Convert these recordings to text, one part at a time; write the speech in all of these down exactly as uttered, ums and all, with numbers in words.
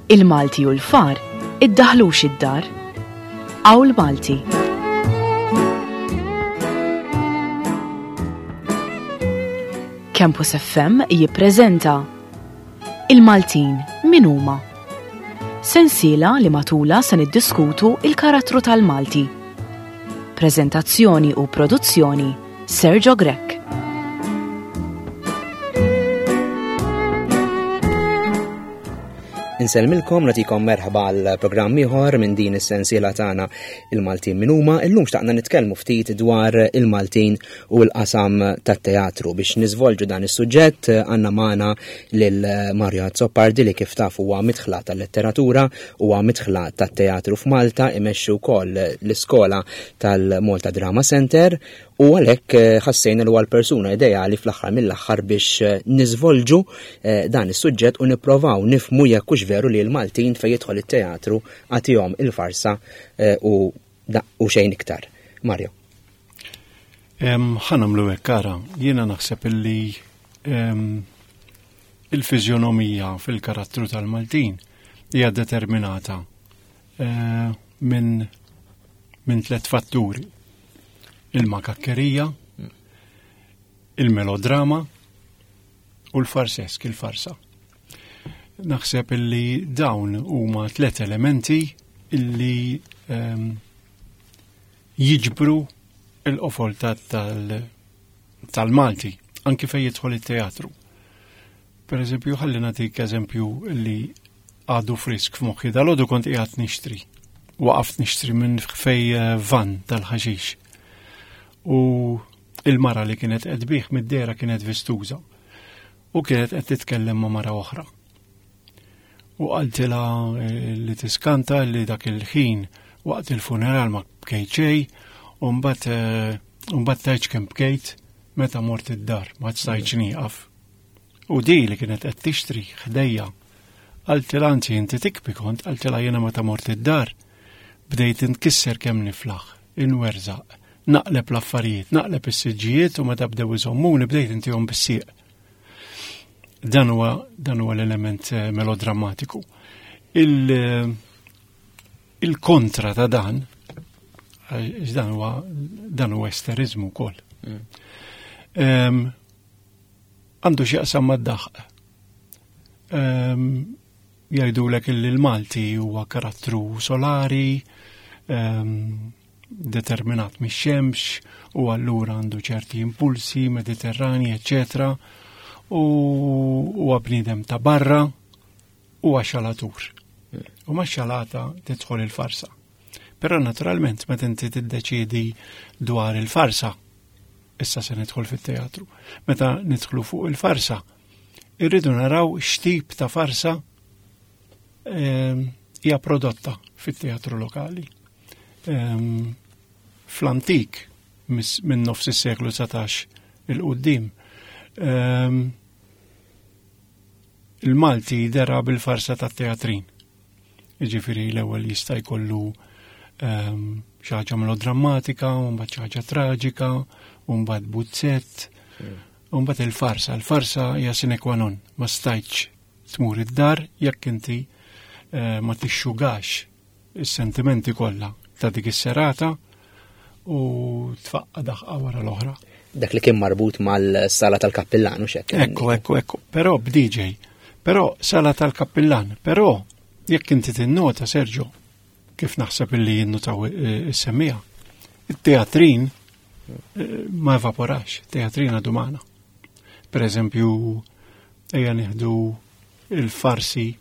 Il-Malti u l-far iddaħlux id-dar. Awl Malti. Campus F M jippreżenta Il-Maltin min huma? Sensiela li matula se niddiskutu il-karattru tal-Malti. Preżentazzjoni u produzzjoni Sergio Grech. Insellmilkom, nagħtikom merħba għal programm ieħor minn din is-sensiela tagħna Il-Maltin min huma. Illum xtaqna nitkellmu ftit dwar il-Maltin u l-qasam tat-teatru. Biex niżvolġu dan is-suġġett għandna magħna lil Mario Azzopardi li kif taf huwa midħla tal-letteratura, huwa midħla tat-teatru f'Malta, imexxi wkoll l-iskola tal-Malta Drama Center u għalhekk, eh, ħassejna li huwa l-persuna ideali fl-aħħar mill-aħħar biex, eh, niżvolġu, eh, dan is-suġġett u nipprovaw nifhmu jekk hux veru li l-Maltin fejn jidħol it-teatru għatihom il-farsa, eh, u da-, u xejn iktar. Mario. Em, ħa nagħmlu hekk, ara, jiena naħseb illi, em, il-fiżjonomija fil-karattru tal-Maltin hija determinata, eh, minn, minn tliet fatturi. Il-makakkerija, il-melodrama u l-farsesk, il-farsa. Naħseb illi dawn huma tliet elementi illi, ehm, jiġbru il-qofol ta-, tal-, tal-Malti, anki fejn jidħol it-teatru. Per eżempju, ħalli nagħtik eżempju li għadu frisk f'moħħi. Dal-għodu kont qiegħed nixtri. Waqaft nixtri minn fej, eh, van tal-ħaxix. U il-mara li kienet qed tbigħ mid-dehra kienet vistuża u kienet qed titkellem ma' mara oħra. U qaltilha, eh, li tiskanta li dak il-ħin waqt il-funeral ma bkejt xejn, u mbagħad, eh, u mbagħad tgħidx kemm bkejt meta mort id-dar, ma stajtx nieqaf. U di li kienet qed tixtri ħdejja, qaltilha anzi inti tikbi kont, qaltilha jiena meta mort id-dar bdejt inkisser kemm niflaħ, inwerżaq, naqleb l-affarijiet, naqleb is-siġġijiet u meta bdew iżommuni bdejt intihom bis-sieq. Dan huwa, dan huwa l-element, eh, melodrammatiku. Il, eh, il-kontra ta' dan, għax dan huwa, dan huwa esterizmu wkoll. Mm. Em, għandu x'jaqsam mad-daħq. Em, jgħidulek illi l-Malti huwa karattru solari, em, determinat mix-xemx u allura għandu ċerti impulsi mediterrani, eccetera, u huwa bniedem ta' barra u xalatur. U ma' xalata tidħol il-farsa. Però naturalment meta inti tiddeċiedi dwar il-farsa, issa se nidħol fit-teatru, meta nidħlu fuq il-farsa, irridu naraw x'tip ta' farsa, ehm, hija prodotta fit-teatru lokali. Ehm, fl-antik, mis-, minn nofs is-seklu dsatax il-qudiem, ehm, il-Malti dera bil-farsa tat-teatrin. Jiġifieri l-ewwel jista' jkollu, ehm, xi ħaġa melodrammatika, u mbagħad xi ħaġa traġika, u mbagħad buzzett, Mm. u mbagħad il-farsa. Il-farsa hija sine qua non, ma stajtx tmur id-dar jekk inti, eh, ma tixxugax is-sentimenti kollha ta' dik is-serata u tfaqqa daħqa wara l-oħra. Dak li kien marbut mal-sala tal-kappillan u x'hekk. Ekku, ekku, ekku. Però b'D J, però sala tal-kappillan, però jekk inti tinnota, Sergio, kif naħseb illi jinnotaw, eh, is-semmija, it-teatrin, eh, ma evaporax, teatrin għadu magħna. Per eżempju, ejja nieħdu il-farsi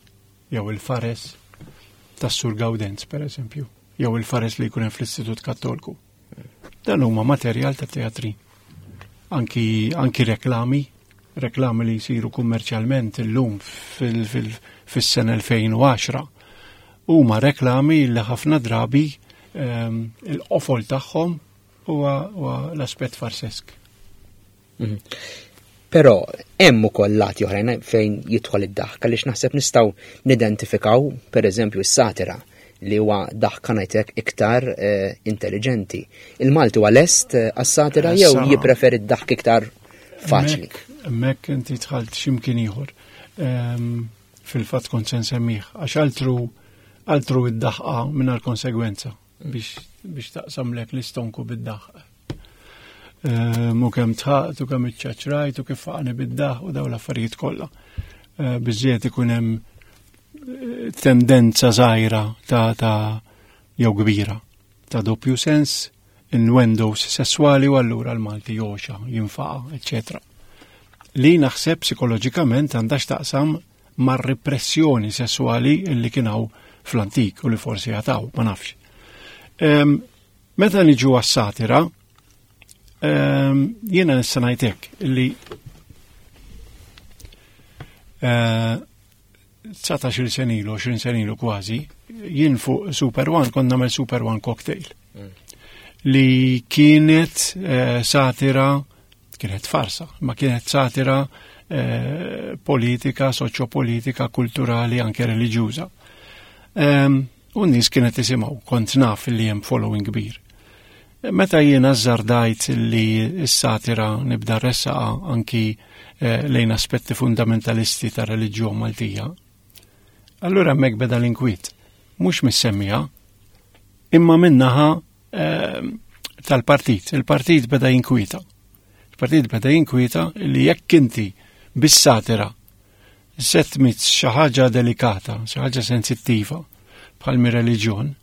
jew il-fares tas-Sur Gawdenz, per eżempju, jew il-fares li jkun hemm fl-Istitut Kattoliku. Dan huma materjal ta' teatrin. Anki, anki reklami, reklami li jsiru kummerċjalment illum fil-, fil-, fis-sena elfejn u għaxra, huma reklami li ħafna drabi, ehm, il-qofol tagħhom huwa, huwa l-aspett farsesk. Mhm. Però hemm ukoll lati oħrajn fejn jidħol id-daħk, għaliex naħseb nistgħu nidentifikaw pereżempju s-satira li huwa daħka ngħidlek iktar, eh, intelligenti. Il-Malti huwa lest, eh, għas-satira jew Issa jippreferi d-daħk iktar faċli? Hemmhekk, hemmhekk inti dħalt x'imkien ieħor. Ehm, Fil-fatt kont se nsemmih, għax altru altru id-daħqa mingħajr konsegwenza biex, biex taqsamlek l-istonku bid-daħq. Mu kemm dħaqt u kemm iċċaċrajt u kif faqani bid-daħq u daw l-affarijiet kollha. Eh, biżżejjed ikun hemm eh, tendenza żgħira ta' ta' jew kbira ta' doppju sens, innuendos sessuali u allura l-Malti joxa, jinfaqa, eccetera. Li naħseb psikoloġikament għandha x'taqsam mar-repressjoni sessuali li kien hawn fl-antik u li forsi għad hawn, ma nafx. Em, Meta niġu għas-satira, em, jiena nista' ngħidlek li eh, dsatax-il sena ilu, għoxrin sena ilu kważi, jien fuq Super One kont nagħmel Super One Cocktail. Li kienet eh, satira, kienet farsa, ma kienet satira eh, politika, soċjopolitika, kulturali, anke reliġjuża. Um, u n-nies kienet isimgħu, kont naf li hemm following kbir. Meta jiena azzardajt li s-satira nibda ressaqa anki eh, lejn aspetti fundamentalisti ta' reliġjon Maltija, allura hemmhekk beda l-inkwiet. Mhux mis-semmija, imma minnaħa eh, tal-partit. Il-partit beda jinkwieta. Il-partit beda jinkwieta li jekk inti bis-satira se tmiss xi ħaġa delikata, xi ħaġa sensittiva bħal mi reliġjon,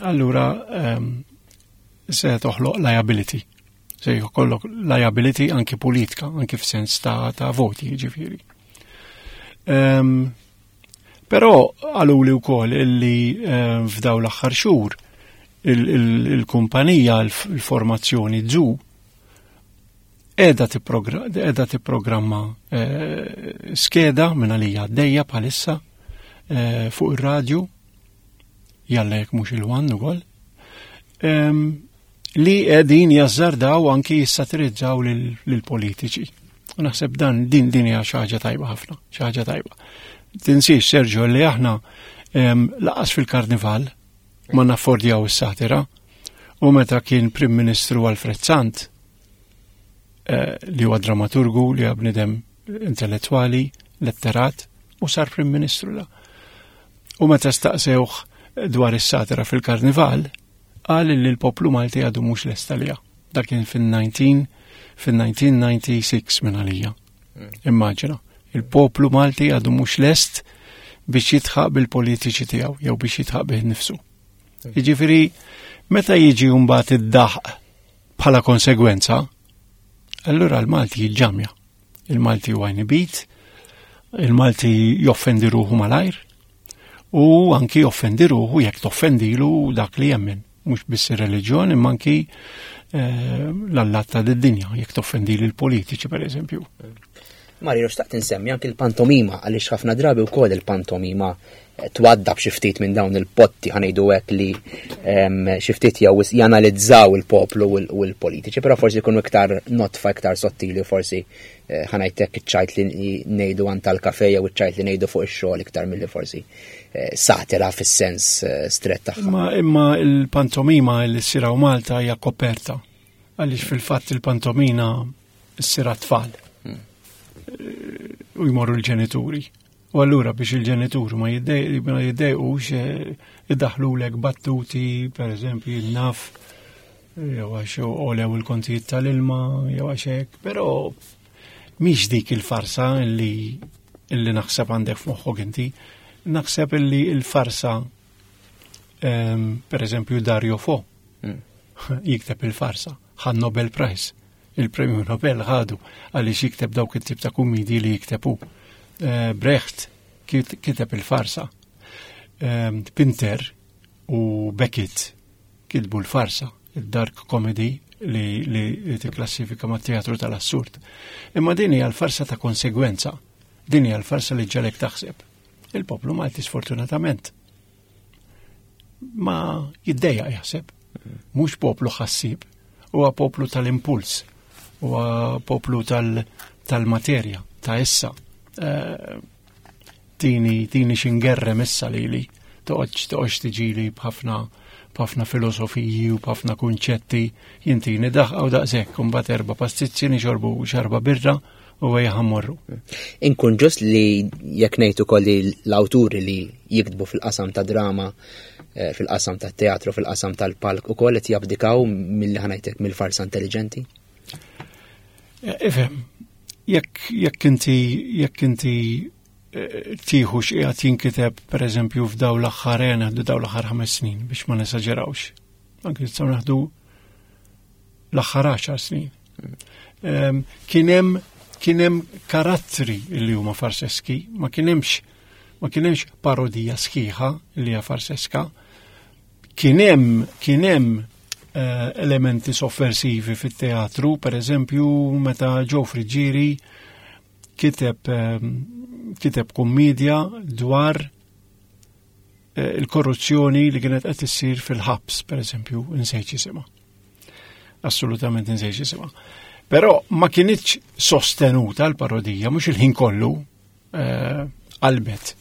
allura um, se toħloq liability. Se jkollok liability anki politika, anki f'sens ta', ta' voti, ġifieri. Um, però qaluli wkoll illi um, f'daw l-aħħar xhur il-kumpanija, il-formazzjoni Zoo, edha edha tipprogramma eh, skeda minn għalija għaddejja bħalissa eh, fuq ir-radju, jalla jekk mhux il-One ukoll, em, li qegħdin jazzardaw anki jissatirizzaw lill-politiċi. U naħseb dan din din hija xi ħaġa tajba ħafna, xi ħaġa tajba. Tinsiex, Sergio, li aħna em, lanqas fil-karnival ma naffordjaw is-satira u meta kien Prim Ministru Alfred Sant, eh, li huwa dramaturgu, li huwa bniedem intellettwali, letterat, u sar Prim Ministru la. U meta staqsewh dwar is-satira fil-karnival, qal li l-poplu Malti għadu mhux lest għaliha. Dak kien fil-nineteen fil-elf disa' mija u disgħa u disgħin minn għalija. Immaġina, il-poplu Malti għadu mhux lest biex jidħaq bil-politiċi tiegħu jew biex jidħaq bih nifsu. Jiġifieri meta jiġi mbagħad id-daħq bħala konsegwenza, allura l-Malti jiġġamja. Il-Malti huwa inibit, il-Malti joffendi ruħu malajr, u anki joffendi ruħu jekk toffendilu dak li jemmen. Mhux biss ir-reliġjon, imma anki eh, l-allat ta' dinja, jekk toffendi l-politiċi, per eżempju. Mario, xtaqt insemmi anki l-pantomima, għaliex ħafna drabi wkoll il-pantomima eh, twaddab xi ftit minn dawn il-potti, ħa ngħidu hekk, li em, xi ftit jew janalizzaw il-poplu u l- u l-politiċi, però forsi jkunu iktar notfa, iktar sottili, forsi eh, ħa ngħidlek iċ-ċajt li ngħidu għand tal-kafe jew iċ-ċajt li ngħidu fuq ix-xogħol iktar milli forsi eh, satira fis-sens eh, strett tagħha. Imma, imma il-pantomima li ssir hawn Malta hija koperta. Għaliex fil-fatt il-pantomina ssir tfal. U jmorru l-ġenituri. U allura biex il-ġenituri ma jiddej- ma jiddejqux eh, iddaħlulek battuti, per eżempju, naf, jew għax għolew il-kontijiet tal-ilma, jew għax hekk, però mhix dik il-farsa illi illi naħseb għandek f'moħħok inti. Naħseb illi il-farsa em, per eżempju Dario Fo Mm. jikteb il-farsa, ħa Nobel Prize, il-Premju Nobel ħadu għaliex jikteb dawk it-tip ta' kumidi li jiktebu. Eh, Brecht kit- kiteb il-farsa. Em, Pinter u Beckett kitbu l-farsa, il-dark comedy li, li, li tikklassifika ma' teatru tal-assurd. Imma din hija l-farsa ta' konsegwenza, din hija l-farsa li ġġagħlek taħseb. Il-poplu Malti sfortunatament ma jiddejjaq jaħseb. Mhux poplu ħassib, huwa poplu tal-impuls, huwa poplu tal- tal-materja, ta' issa. Eh, tini, tini xingerrem issa li li, toqgħodx toqgħodx tiġili b'ħafna b'ħafna filosofiji u b'ħafna kunċetti, jintini daħqa u daqshekk, u mbagħad erba' pastizzi nixorbu xarba birra U ejja ħa mmorru. Inkun ġust li jekk ngħid ukoll li l-awturi li jiktbu fil-qasam ta' drama, eh, fil-qasam ta' teatru, fil-qasam tal-palk ukoll qed jabdikaw milli ħa ngħidlek mill-farsa intelligenti? Eh, ifhem, jekk jekk inti jekk inti eh, tieħu x'qiegħed jinkiteb, pereżempju, f'daw l-aħħar, naħdu daw l-aħħar ħames snin biex ma nesaġerawx. Anke nistgħu naħdu l-aħħar għaxar snin. Em, Kien hemm kien hemm karattri li huma farseski, ma kien hemmx ma kien hemmx parodija sħiħa li hija farseska. Kien hemm kien hemm eh, elementi sovversivi fit-teatru, per eżempju, meta Joe Friggieri kiteb ehm, kiteb kummedja dwar eh, il-korruzzjoni li kienet qed issir fil-ħabs, per eżempju, insejt jisimha. Assolutament insejt jisimha. Però ma kinitx sostenuta l-parodija, mhux il-ħin kollu eh, qalbet.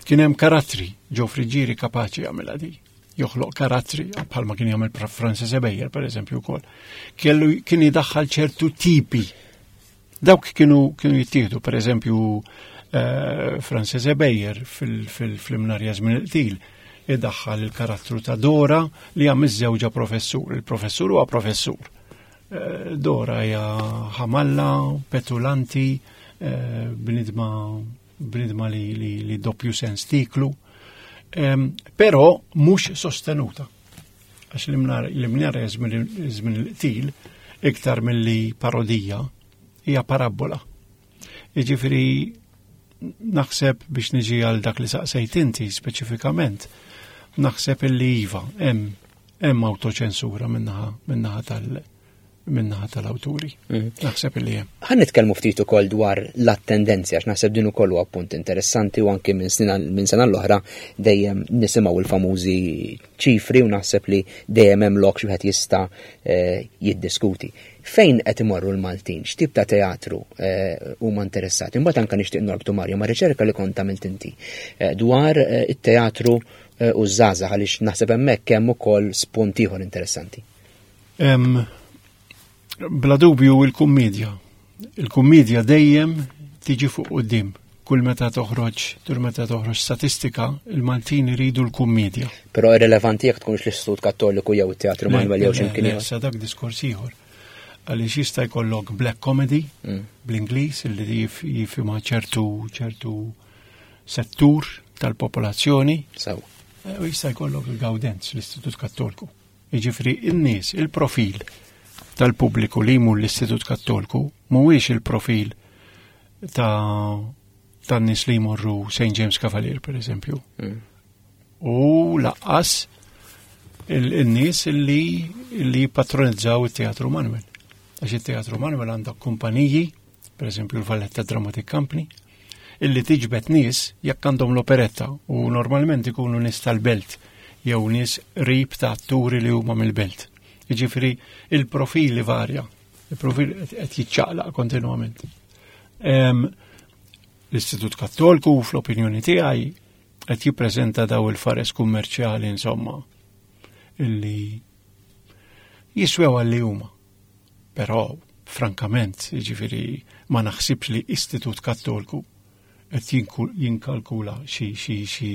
Kien hemm karattri, Joe Friggieri kapaċi jagħmilha di. Joħloq karattri bħalma kien jagħmel Francis Ebejer, per eżempju, wkoll. Kellu kien jidaħħal ċertu tipi. Dawk kienu kienu jittieħdu, per eżempju, eh, Francis Ebejer fil-Imnarja Żmien il-Qtil idaħħal il-karattru ta' Dora li hija miżżewġa professur. Il-professur huwa professur. Eh, Dora hija ħamalla, petulanti, eh, bnidma bnidma li, li, li doppju sens tiklu, Em, però mhux sostenuta. Għax l-Imnarja Żmien il-Qtil iktar milli parodija hija parabola. Jiġifieri naħseb, biex niġi għal dak li saqsejt inti speċifikament, naħseb illi iva, hemm hemm autoċensura minnaħa minnaħa tal minnaħa tal-awturi. Naħseb illi hemm. Ħa nitkellmu ftit ukoll dwar l-attendenzi, għax naħseb din ukoll huwa punt interessanti u anke minn sena minn sena l-oħra dejjem nisimgħu il-famużi ċifri u naħseb li dejjem hemm lok xi wieħed jista' eh, jiddiskuti. Fejn qed imorru l-Maltin? X'tip ta' teatru eh, huma interessati? Imbagħad anke nixtieq norbtu, Mario, ma' riċerka li kont għamilt inti eh, dwar eh, it-teatru eh, u żgħażagħ, għaliex naħseb hemmhekk hemm ukoll spunt ieħor interessanti. Em, Bla dubju il-kummedja. Il-kummedja dejjem tiġi fuq quddiem. Kull meta toħroġ, kull meta toħroġ statistika, il-Maltin iridu l-kummedja. Però irrelevanti jekk tkunx l-Istitut Kattoliku jew it-Teatru Manuel jew x'imkien Le, ieħor. Sa dak diskors ieħor. Għaliex jista' jkollok black comedy Mm. bl-Ingliż illi jif- jifhimha ċertu ċertu settur tal-popolazzjoni. Sew. Eh, u jista' jkollok il-Gawdenz, l-Istitut Kattoliku. Jiġifieri in-nies, il-profil tal-pubbliku li jmur l-Istitut Kattoliku mhuwiex il-profil ta' tan-nies li jmorru Saint James Cavalier, per eżempju. Mm. U lanqas il-nies li li patronizzaw il-Teatru Manuel. Għax il-Teatru Manuel għandha kumpaniji, per eżempju l-Valletta Dramatic Company, illi tiġbed nies jekk għandhom l-operetta u normalment ikunu nies tal-belt jew nies qrib ta' atturi li huma mill-belt. Jiġifieri il-profili varja, il-profil qed jiċċaqlaq kontinwament. Em, L-Istitut Kattoliku, fl-opinjoni tiegħi, qed jippreżenta daw il-fares kummerċjali, insomma, illi jiswew għalli huma. Però, frankament, jiġifieri ma naħsibx li Istitut Kattoliku qed jinku- jinkalkula xi xi xi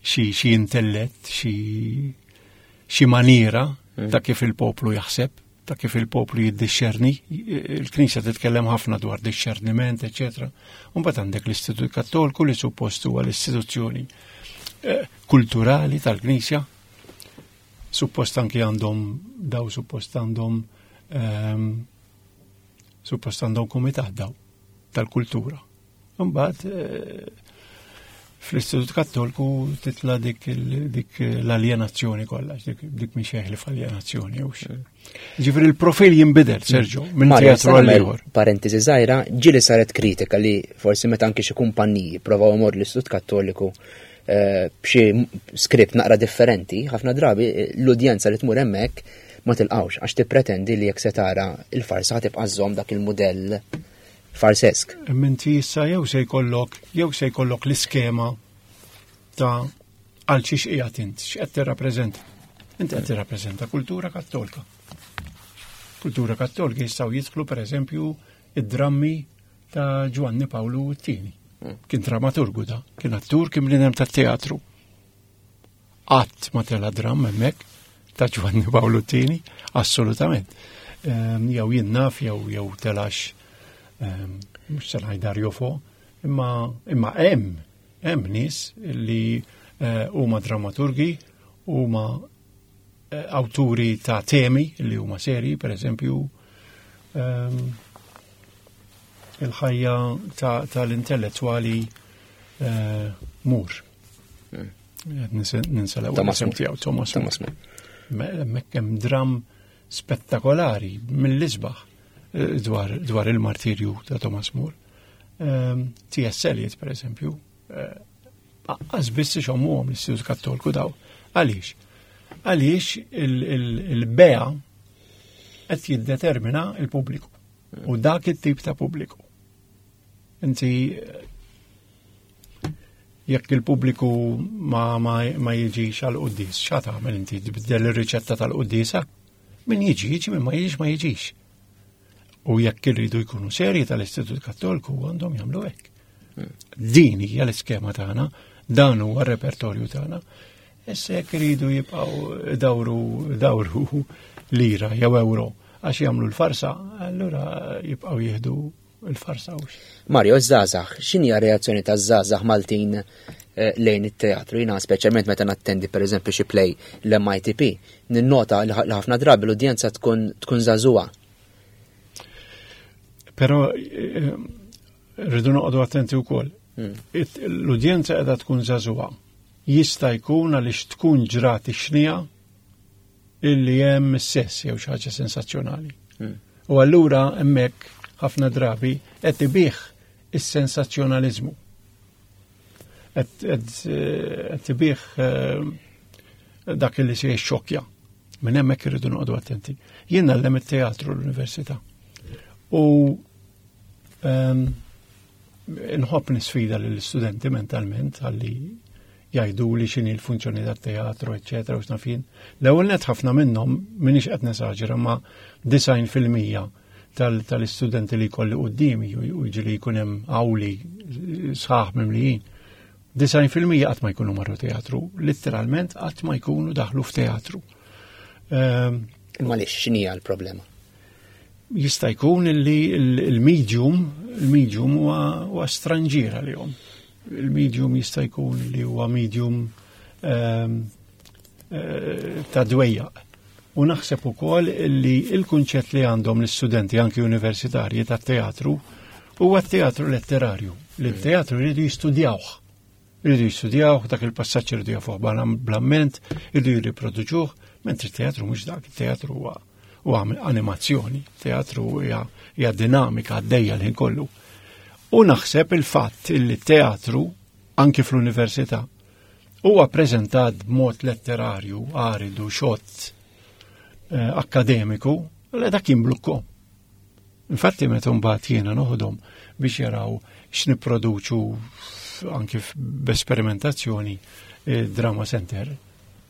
xi xi intellett, xi xi maniera ta' kif il-poplu jaħseb, ta' kif il-poplu jiddixxerni. Il-Knisja titkellem ħafna dwar dixxerniment, eċetera. Mbagħad għandek l-Istitut Kattoliku li suppost huwa l-istituzzjoni eh, kulturali tal-Knisja. Suppost anki għandhom daw suppost għandhom ehm, suppost għandhom kumitat daw tal-kultura. Mbagħad eh, fl-Istitut Kattoliku titla dik il- dik l-aljenazzjoni kollha, dik dik mhix li f'aljenazzjoni jew xi. Ġifieri il-profil jinbidel, Sergio, minn Mario, teatru għal nagħmel ieħor. parentesi żgħira, ġieli saret kritika li forsi meta anke xi kumpanniji provaw imorru l-Istitut Kattoliku eh, b'xi skript naqra differenti, ħafna drabi eh, l-udjenza li tmur hemmhekk ma tilqawx għax tippretendi li jekk se tara il-farsa tibqa' żżomm dak il-mudell farsesk. Minti issa jew se jkollok jew se jkollok l-iskema ta' għal xiex qiegħed int, x'qed tirrappreżenta. Inti qed tirrappreżenta kultura kattolika. Kultura kattolika jistgħu jidħlu, pereżempju, id-drammi ta' Ġwanni Pawlu t-tieni. Kien dramaturgu da, kien attur, kien bniedem tat-teatru. Qatt ma tela dramm hemmhekk ta' Ġwanni Pawlu t-tieni, assolutament. Ehm, jew jien naf jew jew telax ehm, mhux se ngħid Dario Fo, imma imma hemm hemm nies li eh, huma dramaturgi, huma eh, awturi ta' temi li huma serji, per eżempju, ehm, il-ħajja tal-intellettwali eh, Moore. Ninsa l-ewwel isem tiegħu Thomas Moore. Hemmhekk hemm dram spettakolari mill-isbaħ eh, dwar, dwar il-martirju ta' Thomas More. Ehm, T S. Eliot, per eżempju, għax biss ixommuhom l-Istitut Kattolku daw. Għaliex? Għaliex il-bejgħ qed jiddetermina il-pubbliku. U dak it-tip ta' pubbliku. Inti jekk il-pubbliku ma, ma, ma jiġix għal quddies, xa tagħmel inti, tbiddel ir-riċetta tal-quddiesa? Min jiġi, jiġi, min ma jiġix, ma jiġix. U jekk irridu jkunu serji tal-Istitut Kattolku, għandhom jagħmlu hekk. Din hija l-iskema tagħna, dan huwa r-repertorju tagħna. Issa jekk iridu jibqgħu dawru dawru lira jew euro għax jagħmlu l-farsa, allura jibqgħu jieħdu l-farsa hux. Mario, żgħażagħ, x'inhi reazzjoni ta' żgħażagħ Maltin eh, lejn it-teatru? Jiena speċjalment meta nattendi, per eżempju, xi play l-M I T P, ninnota li ħafna drabi l-udjenza tkun tkun żagħżugħa. Però eh, rridu noqogħdu attenti wkoll. Hmm. L-udjenza qiegħda tkun żagħżugħa. Jista' jkun għaliex tkun ġrat ix-xnija illi hemm sess jew xi ħaġa sensazzjonali. Hmm. U allura hemmhekk ħafna drabi qed ibih is-sensazzjonaliżmu. Qed ibih eh, dak li se jxokkja. Minn hemmhekk irridu noqogħdu attenti. Jien ngħallem it-teatru l-università. U ehm, nħobb nisfida lill-istudenti mentalment għalli jgħidu li x'inhi l-funzjoni tat-teatru, eċċetera, u x'naf jien. L-ewwel net, ħafna minnhom, m'iniex qed nesaġera, ma disgħin fil-mija tal-istudenti li jkolli qudiemi, u ġieli jkun hemm awli sħaħ mimlijin. Disgħin fil-mija qatt ma jkunu marru teatru, literalment qatt ma jkunu daħlu f'teatru. Ehm, Imma lix x'inhi l-problema? Jista' jkun li il-medium, il-medium huwa stranġier għalihom. Il-medium jista' jkun li huwa medium ehm, eh, ta' dwejjaq. U naħseb ukoll li il-kunċett li għandhom l-istudenti anki universitarji tat-teatru huwa t-teatru letterarju, li t-teatru jridu jistudjawh. Jridu jistudjawh, dak il-passaġġ jridu jafuh bl-amment, jridu jirriproduċuh, mentri t-teatru mhux dak, it-teatru huwa u animazzjoni, teatru hija dinamika għaddejja l-ħin kollu. U naħseb il-fatt li teatru anki fl-università huwa preżentat b'mod letterarju, aridu, xott, eh, akademiku, li dak jimblukkom. Infatti meta mbagħad jiena noħodhom biex jaraw x'nipproduċu anki b'esperimentazzjoni eh, Drama Center,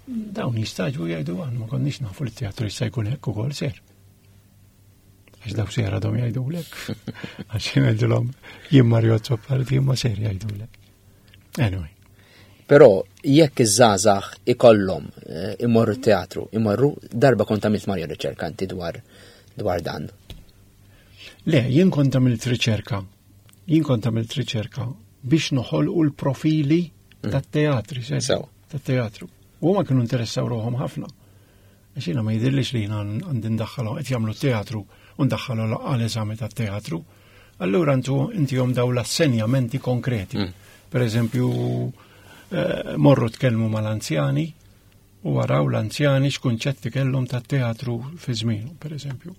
dawn jistagħġbu, jgħidu, "Għan ma konniex nafu li teatru jista' jkun hekk ukoll ser." Għax daw ser għadhom jgħidulek. Għax jgħidulhom jien Mario Azzopardi, imma ser jgħidulek. Anyway. Però jekk iż-żgħażagħ ikollhom eh, imorru teatru, imorru, darba kont għamilt, Mario, riċerka inti dwar dwar dan. Le, jien kont għamilt riċerka. Jien kont għamilt riċerka biex noħolqu l-profili mm. tat-teatri, tat-teatru. U ma kienu interessaw ruħhom ħafna. Għax jiena ma jidhirlix li jiena għandi ndaħħalhom qed jagħmlu teatru u ndaħħalhom għal eżami tat-teatru. Allura intu intihom daw l-assenjamenti konkreti. Mm. Per eżempju, eh, morru tkellmu mal-anzjani u waraw l-anzjani x'kunċetti kellhom tat-teatru fi żmienu, per eżempju.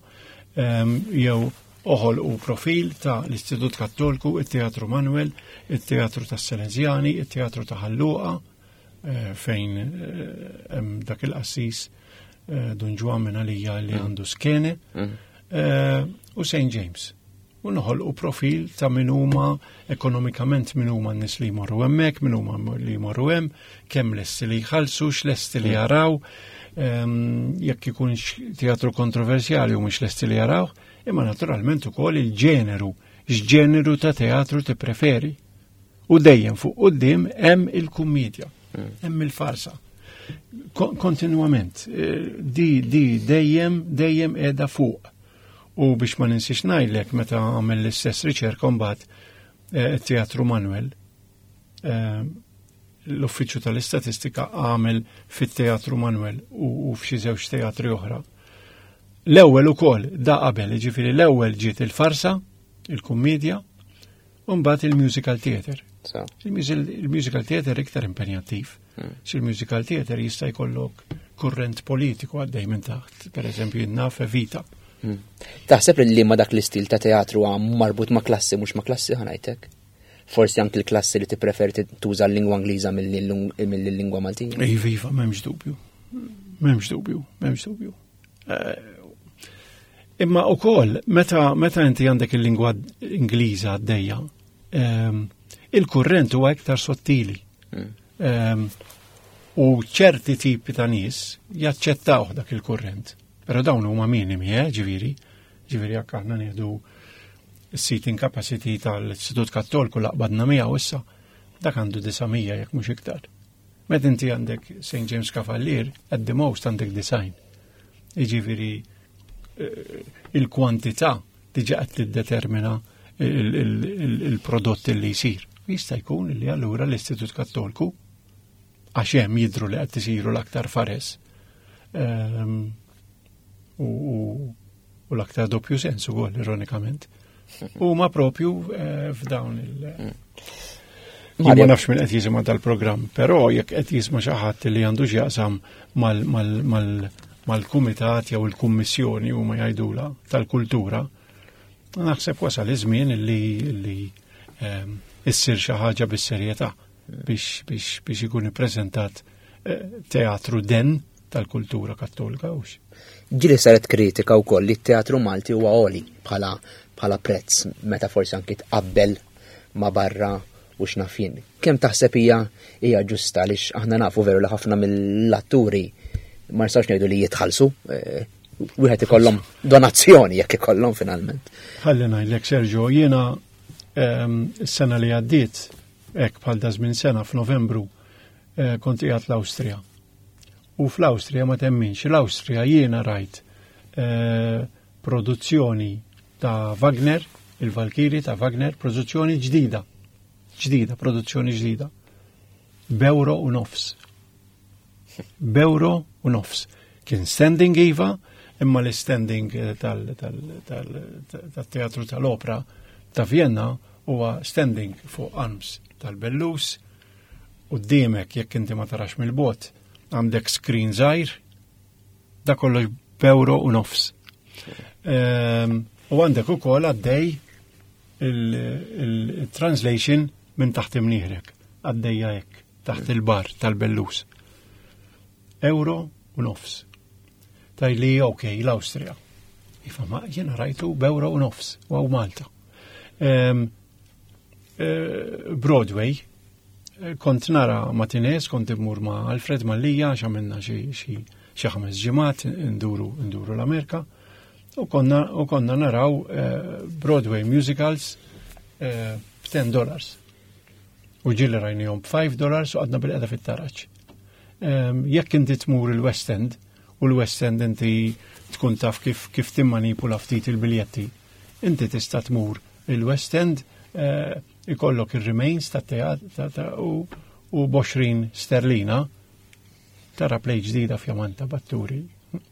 Jew oħolqu profil ta' l-Istitut Kattolku, il-Teatru Manuel, il-Teatru tas Salesjani, il-Teatru ta' Ħal Luqa, eh, fejn eh, hemm dak il-qassis eh, Dun Ġwann minn għalija li mm. għandu skene, mm. u Saint James. U noħolqu profil ta' min huma ekonomikament, min huma n-nies li jmorru hemmhekk, min huma li jmorru hemm, kemm lesti li jħallsu, x'lesti li jaraw, ehm, jekk ikunx teatru kontroversjali u mhux lesti li jaraw, imma naturalment ukoll il-ġeneru, x'ġeneru ta' teatru tippreferi. U dejjem fuq quddiem hemm il-kummedja, hemm il-farsa. Kontinuament, eh, di di dejjem dejjem qiegħda fuq. U biex ma ninsiex ngħidlek, meta għamel l-istess riċerka mbagħad eh, Teatru Manuel, eh, l-Uffiċċju tal-Istatistika għamel fit-Teatru Manuel u f'xi żewġ teatri oħra. L-ewwel ukoll da qabel, jiġifieri l-ewwel ġiet il-farsa, il-kummedja, u mbagħad il-musical theater. Il-musical theater iktar impenjattiv. Hmm. Il-musical theater jista' jkollok kurrent politiku għaddej minn taħt, per eżempju naf Evita. Hmm. Taħseb li ma dak l-istil ta' teatru marbut ma' klassi, mhux ma' klassi, ħa ngħidlek? Forsi anki l-klassi li tippreferi tuża l-lingwa Ingliża mill-lingwa Maltija? Iva, iva, m'hemmx dubju. M'hemmx dubju, m'hemmx dubju. Eh, imma ukoll, meta meta inti għandek il-lingwa Ingliża għaddejja, ehm, il-kurrent huwa iktar sottili. Hmm. Ehm, u ċerti tipi ta' nies jaċċettaw dak il-kurrent. Però dawn huma minimi, eh, ġifieri. Ġifieri jekk aħna nieħdu seating capacity tal-Istitut Kattolku laqbadna miegħu issa, dak għandu disa' mija jekk mhux iktar. Meta inti għandek Saint James Cavalier, at the most għandek disgħin. Jiġifieri eh, il-kwantità diġà qed tiddetermina il-prodott li jsir. Jista' jkun li allura l-Istitut Kattolku, għax hemm jidru li qed isiru l-aktar fares ehm, u l-aktar doppju sens ukoll, ironikament. U ma propju eh, f'dawn il- mm. Ma nafx minn qed jisimha dal-programm, però jekk qed jisma' xi ħadd li għandu x'jaqsam mal-kumitat jew il-kummissjoni, huma jgħidula, tal-kultura, naħseb wasal iż-żmien li li ehm, issir xi ħaġa bis-serjetà biex biex biex ikun ippreżentat eh, teatru den tal-kultura Kattolika hux. Ġieli saret kritika wkoll li t-teatru Malti huwa għoli bħala bħala prezz meta forsi anki tqabbel ma' barra u x'naf jien. Kemm taħseb hija hija ġusta, għaliex aħna nafu veru li ħafna mill-atturi ma nistgħux ngħidu li jitħallsu, eh, wieħed ikollhom donazzjoni jekk ikollhom finalment. Ħalli ngħidlek, Sergio, jiena ehm, s-sena li għaddiet, hekk bħal da żmien sena f'Novembru, eh, kont qiegħed l-Awstrija. U fl-Awstrija, ma temminx, l-Awstrija jiena rajt eh, produzzjoni ta' Wagner, il-Valkiri ta' Wagner, produzzjoni ġdida. Ġdida, produzzjoni ġdida. B'euro u nofs. B'euro u nofs. Kien standing iva, imma l-standing eh, tal-teatru tal-opera ta' Vienna huwa standing fuq arms tal-bellus, qudiemek, jekk inti ma tarax mill-bogħod, għandek screen żgħir, da kollox b'euro u nofs. Ehm, u għandek ukoll għaddej il-translation minn taħt imnieħrek, għaddejja hekk, taħt il-bar tal-bellus. Euro u nofs. Tgħidli, ok, l-Awstrija. Iva, ma jena rajtu b'euro u nofs, u hawn Malta. Ehm, eh, Broadway, eh, kont nara matinees, kont immur ma' Alfred Mallia, għamilna xi ħames ġimgħat nduru nduru l-Amerika, u konna, u konna naraw eh, Broadway musicals b'ten dollars. U ġieli rajnihom b'five dollars u għadna bilqiegħda fit-taraġ. Ehm, jekk inti tmur il-West End, u l-West End inti tkun taf kif, kif timmanipula ftit il-biljetti, inti tista' tmur il-West End, eh, ikollok il-remains ta' teat u, u b'għoxrin sterlina tara play ġdida fjamanta b'atturi,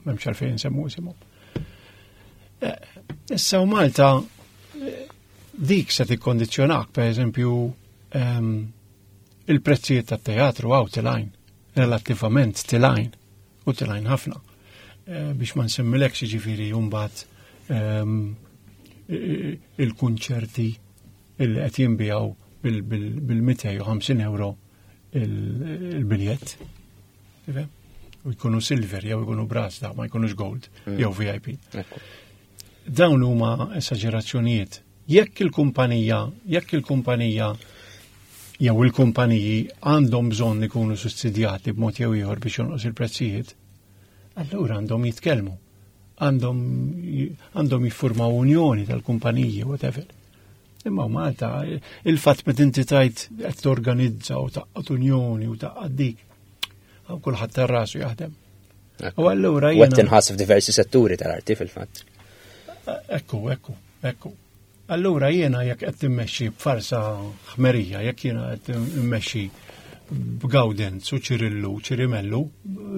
m'hemmx għalfejn nsemmu isimhom. Eh, issa u Malta eh, dik se tikkondizjonak, per eżempju, ehm, il-prezzijiet tat-teatru hawn telgħin, relattivament telgħin, u telgħin ħafna. Eh, biex ma nsemmilekx ġifieri mbagħad ehm, il-kunċerti il qed jinbiegħu bil-mitejn u ħamsin euro il-biljett. U jkunu silver jew jkunu brass da, ma jkunux gold mm. jew V I P. Dawn huma esagerazzjonijiet. Jekk il-kumpanija, jekk il-kumpanija jew il-kumpaniji għandhom bżonn ikunu sussidjati b'mod jew ieħor biex jonqos il-prezzijiet, allura għandhom jitkellmu. Għandhom għandhom jiffurmaw unjoni tal-kumpaniji, whatever. Imma Malta, il-fatt meta inti tajt qed torganizza u tgħaqqad unjoni u tgħaqqad dik, hawn kulħadd tar-rasu jaħdem. U allura jiena. U qed tinħass f'diversi setturi tal-arti fil-fatt. Ekku, ekku, ekku. Allura jiena jekk qed timmexxi b'farsa ħmerija, jekk jiena qed immexxi b'Gawdenz u Ċirillu, Ċirimellu,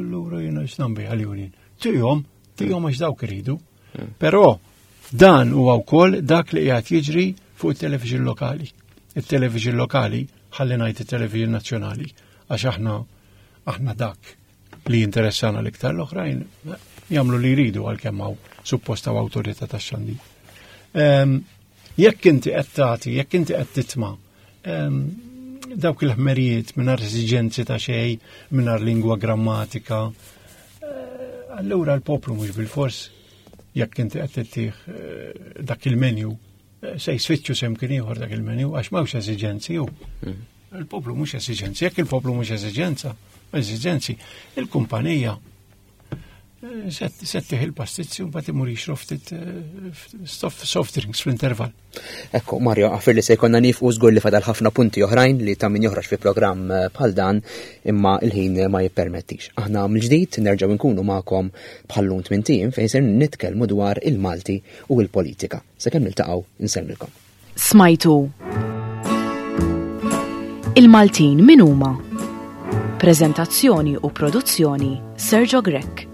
allura jiena x'nambi għal-union. Tihom, tihom għax dawk iridu. Hmm. Però dan huwa wkoll dak li qiegħed jiġri fuq it-television lokali. Il-television lokali, ħalli ngħid it-television nazzjonali, għax aħna aħna dak li jinteressana l-iktar, l-oħrajn jagħmlu li jridu għalkemm hawn supposta awtorità tax-xandir. Ehm, jekk inti qed tagħti, jekk inti qed titma' ehm, dawk il-ħmerijiet mingħajr esiġenzi ta' xejn, mingħajr lingwa grammatika, eh, allura l-poplu mhux bil-fors jekk inti qed tittih eh, dak il-menu eh, se jsfittxu semkien ieħor dak il-menu għax m'hawnx esiġenzi hu. Mm. Il-poplu mhux esiġenzi, jekk il-poplu mhux esiġenza, esiġenzi, il-kumpanija settih il-pastizzi u mbagħad imur jixrob ftit eh, soft drinks fl-intervall. Ekku, Mario, għafir li se jkollna nifqu żgur li fadal ħafna punti oħrajn li ta' min joħroġ fi programm eh, bħal dan imma il-ħin ma jippermettix. Aħna mill-ġdid nerġgħu nkunu magħkom bħallum tmien ijiem fejn ser nitkellmu dwar il-Malti u l-politika. Sakemm niltaqgħu nsellmilkom. Smajtu Il-Maltin min huma? Prezentazzjoni u produzzjoni Sergio Grech.